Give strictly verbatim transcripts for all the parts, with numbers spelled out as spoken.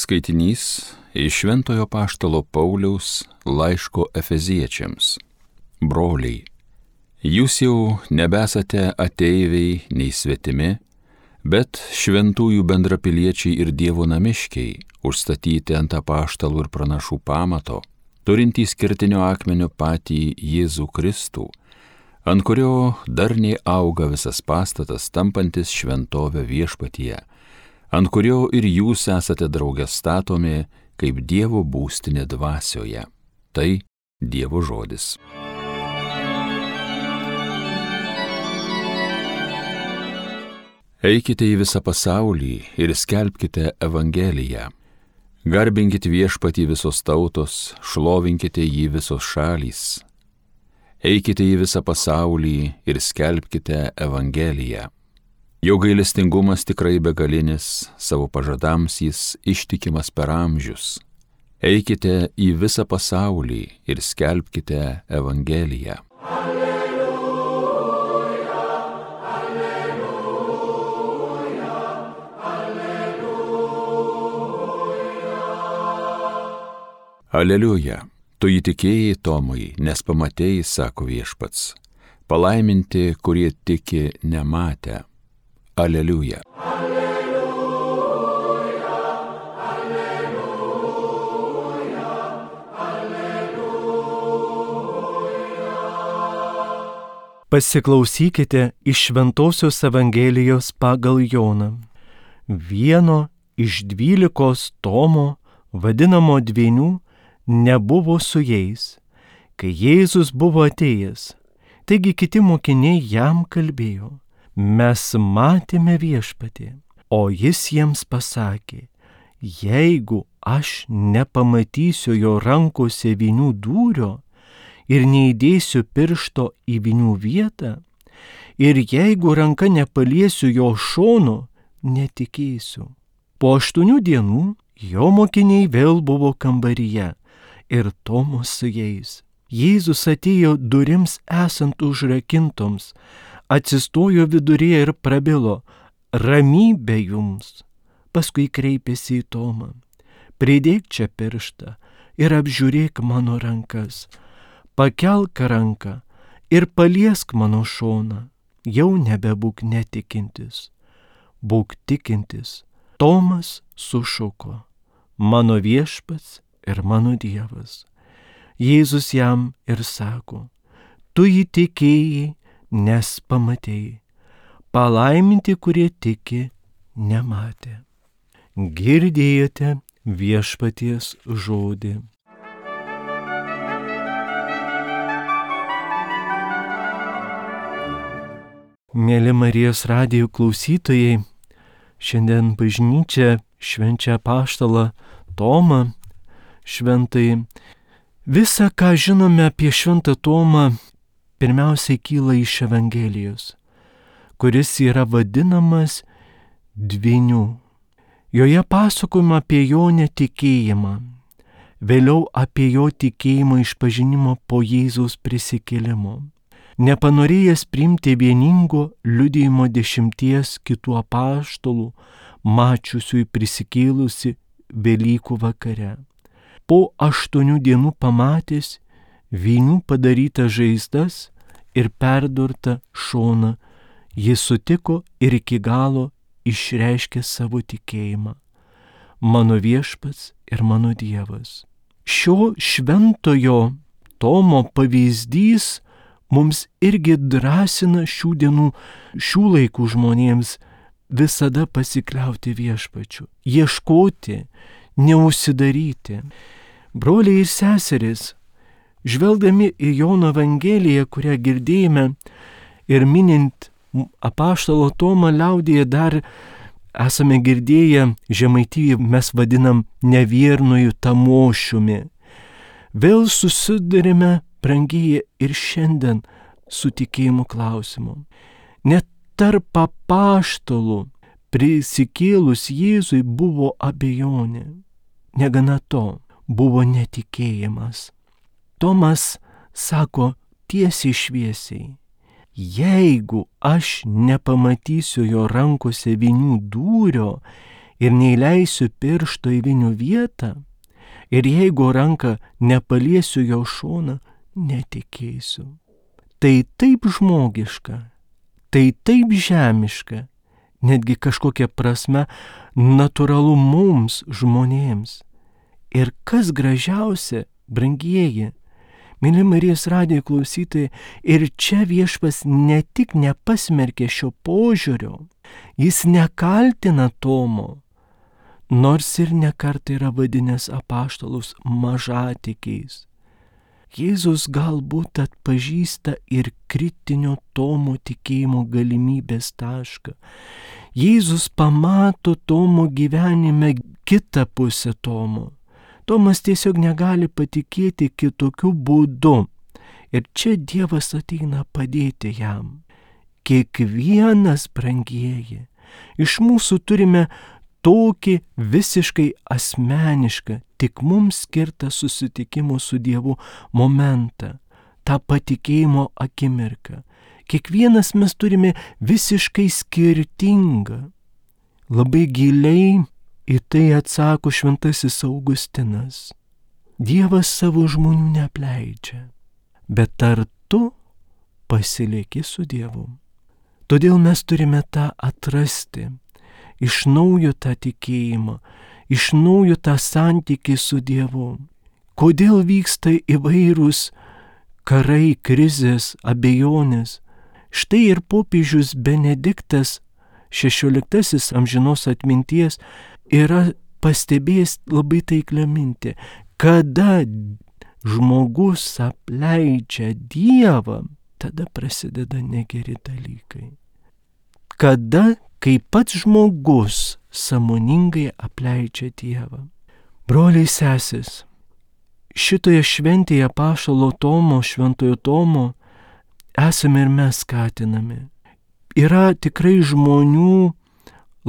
Skaitinys iš Šventojo Apaštalo Pauliaus laiško Efeziečiams. Broliai, jūs jau nebesate ateiviai nei svetimi, bet šventųjų bendrapiliečiai ir Dievo namiškiai, užstatyti ant apaštalų ir pranašų pamato, turintys kertinio akmenio patį Jėzų Kristų, ant kurio darniai auga visas pastatas, tampantis šventovę viešpatyje, ant kurio ir jūs esate drauge statomi kaip Dievo būstinė dvasioje. Tai Dievo žodis. Eikite į visą pasaulį ir skelbkite Evangeliją. Garbinkite viešpatį visos tautos, šlovinkite jį visos šalys. Eikite į visą pasaulį ir skelbkite Evangeliją. Jo gailestingumas tikrai begalinis, savo pažadams jis ištikimas per amžius. Eikite į visą pasaulį ir skelbkite Evangeliją. Alleluja, alleluja, alleluja. Aleliuja, tu įtikėjai Tomai, nes pamatėjai, sako viešpats. Palaiminti, kurie tiki nematę. Aleliuja. Alleluja, alleluja, alleluja. Pasiklausykite iš Šventosios Evangelijos pagal Joną. Vieno iš dvylikos Tomo, vadinamo Dvynių, nebuvo su jais, kai Jėzus buvo atėjęs. Taigi kiti mokiniai jam kalbėjo: mes matėme viešpatį, o jis jiems pasakė: jeigu aš nepamatysiu jo rankose vynių dūrio ir neįdėsiu piršto į vynių vietą, ir jeigu ranka nepaliesiu jo šono, netikėsiu. Po aštuonių dienų jo mokiniai vėl buvo kambaryje ir Tomas su jais. Jėzus atėjo durims esant užrakintoms, atsistojo viduryje ir prabilo: ramybė jums. Paskui kreipėsi į Tomą: pridėk čia pirštą ir apžiūrėk mano rankas, pakelk ranką ir paliesk mano šoną. Jau nebebūk netikintis, būk tikintis. Tomas sušuko: mano viešpats ir mano Dievas. Jėzus jam ir sako: tu jį tikėjai, nes pamatėjai. Palaiminti, kurie tiki nematė. Girdėjote viešpaties žodį. Mėly Marijos radijo klausytojai, šiandien bažnyčia švenčia apaštalą Tomą šventai. Visa, ką žinome apie šventą Tomą, pirmiausiai kyla iš Evangelijos, kuris yra vadinamas Dvynių. Joje pasakojama apie jo netikėjimą, vėliau apie jo tikėjimo išpažinimo po Jėzaus prisikėlimo. Nepanorėjęs priimti vieningo liudijimo dešimties kitų apaštalų, mačiusių prisikėlusi Velykų vakare. Po aštuonių dienų pamatęs vynių padarytas žaizdas ir perdurtą šoną, jis sutiko ir iki galo išreiškė savo tikėjimą: mano viešpats ir mano Dievas. Šio šventojo Tomo pavyzdys mums irgi drąsina šių dienų, šių laikų žmonėms visada pasikliauti viešpačiu, ieškoti, neužsidaryti. Broliai ir seserys, žvelgdami į Jono Evangeliją, kurią girdėjome, ir minint apaštalo Tomą liaudyje, dar esame girdėję, Žemaitijoje mes vadinam neviernuoju tamošiumi. Vėl susidurime, brangieji, ir šiandien su tikėjimo klausimu. Net tarp apaštalų prisikėlus Jėzui buvo abejonė. Negana to, buvo netikėjimas. Tomas sako tiesiai šviesiai: jeigu aš nepamatysiu jo rankose vynių dūrio ir neįleisiu piršto į vinių vietą, ir jeigu ranką nepaliesiu jo šoną, netikėsiu. Tai taip žmogiška, tai taip žemiška, netgi kažkokia prasme natūralu mums, žmonėms. Ir kas gražiausia, brangieji, myli Marijos radijo klausytojai, ir čia Viešpats ne tik nepasmerkė šio požiūrio, jis nekaltina Tomo, nors ir nekart yra vadinęs apaštalus mažatikiais. Jėzus galbūt atpažįsta ir kritinio Tomo tikėjimo galimybės tašką. Jėzus pamato Tomo gyvenime kitą pusę Tomo. Tomas tiesiog negali patikėti kitokiu būdu. Ir čia Dievas ateina padėti jam. Kiekvienas, brangieji, iš mūsų turime tokį visiškai asmenišką, tik mums skirtą susitikimo su Dievu momentą, tą patikėjimo akimirką. Kiekvienas mes turime visiškai skirtingą. Labai giliai į tai atsako šventasis Augustinas. Dievas savo žmonių neapleidžia, bet ar tu pasilieki su Dievu? Todėl mes turime tą atrasti, iš naujo tą tikėjimą, iš naujo tą santykį su Dievu. Kodėl vyksta įvairūs karai, krizės, abejonės? Štai ir popiežius Benediktas šešioliktasis amžinos atminties yra pastebėjęs labai taiklią mintį. Kada žmogus apleidžia Dievą, tada prasideda negeri dalykai. Kada, kai pats žmogus sąmoningai apleidžia Dievą. Broliai sesės, šitoje šventėje apaštalo Tomo, šventojo Tomo, esame ir mes skatinami. Yra tikrai žmonių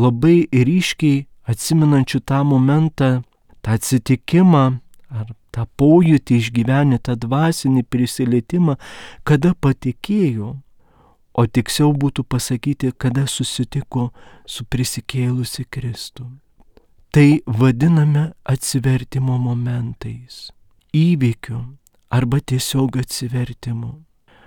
labai ryškiai atsimenančių tą momentą, tą atsitikimą, ar tą pojūtį išgyvenę, tą dvasinį prisilietimą, kada patikėjo, o tiksliau būtų pasakyti, kada susitiko su prisikėlusi Kristų. Tai vadiname atsivertimo momentais, įvykiu arba tiesiog atsivertimu.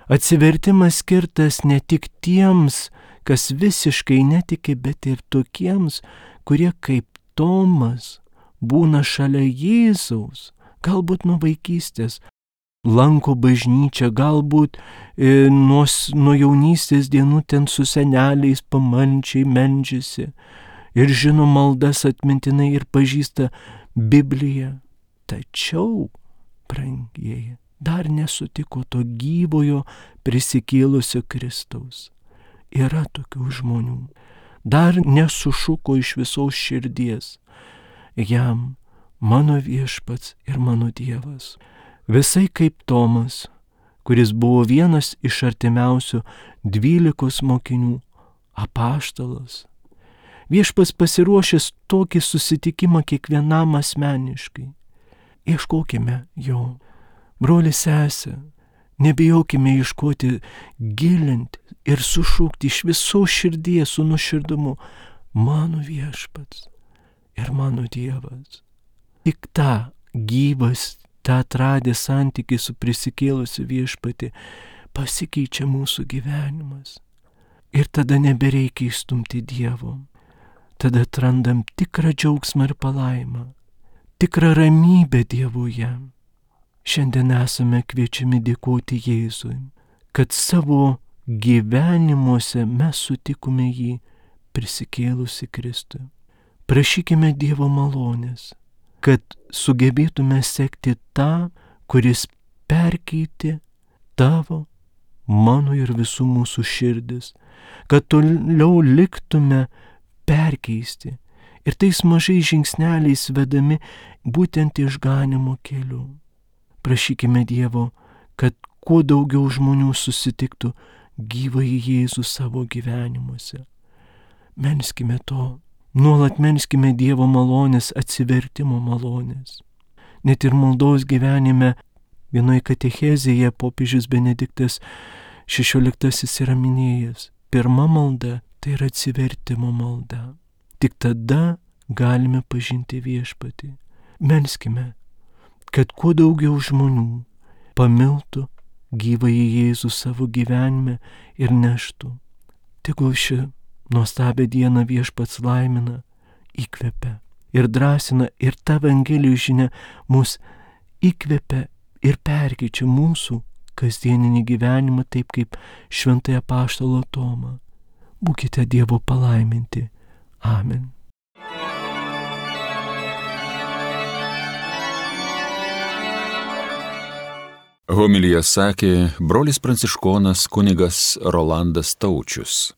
Atsivertimas skirtas ne tik tiems, kas visiškai netiki, bet ir tokiems, kurie kaip Tomas būna šalia Jėzaus, galbūt nuo vaikystės, lanko bažnyčią, galbūt e, nuo, nuo jaunystės dienų ten su seneliais pamalčiai meldžiasi ir žino maldas atmintinai ir pažįsta Bibliją. Tačiau, brangieji, dar nesutiko to gyvojo prisikėlusio Kristaus. Yra tokių žmonių. Dar nesušuko iš visos širdies. Jam mano Viešpats ir mano Dievas. Visai kaip Tomas, kuris buvo vienas iš artimiausių dvylikos mokinių, apaštalas. Viešpats pasiruošęs tokį susitikimą kiekvienam asmeniškai. Ieškokime jo. Broli sesė, nebijokime ieškoti, gilinti ir sušūkti iš visos širdies su nuoširdumu, mano Viešpats ir mano Dievas. Tik tą gyvas, tą atradę santykį su prisikėlusiu Viešpatį pasikeičia mūsų gyvenimas. Ir tada nebereikia įstumti Dievo. Tada atrandam tikrą džiaugsmą ir palaimą, tikrą ramybę Dievuje. Šiandien esame kviečiami dėkoti Jėzui, kad savo gyvenimuose mes sutikome jį prisikėlusi Kristui. Prašykime Dievo malonės, kad sugebėtume sekti tą, kuris perkeitė tavo, mano ir visų mūsų širdis, kad toliau liktume perkeisti ir tais mažais žingsneliais vedami būtent išganimo keliu. Prašykime Dievo, kad kuo daugiau žmonių susitiktų gyvąjį Jėzų savo gyvenimuose. Melskime to, nuolat melskime Dievo malonės, atsivertimo malonės. Net ir maldos gyvenime vienoje katechezėje popiežius Benediktas šešioliktasis yra minėjęs. Pirma malda tai yra atsivertimo malda. Tik tada, galime pažinti Viešpatį. Melskime, kad kuo daugiau žmonių pamiltų gyvąjį Jėzų savo gyvenime ir neštų. Tegul ši nuostabią dieną Viešpats laimina, įkvepia ir drąsina, ir ta Evangelijos žinia mus įkvepia ir perkeičia mūsų kasdieninį gyvenimą, taip kaip šventąją apaštalą Tomą. Būkite Dievo palaiminti. Amen. Homiliją sakė brolis pranciškonas kunigas Rolandas Taučius.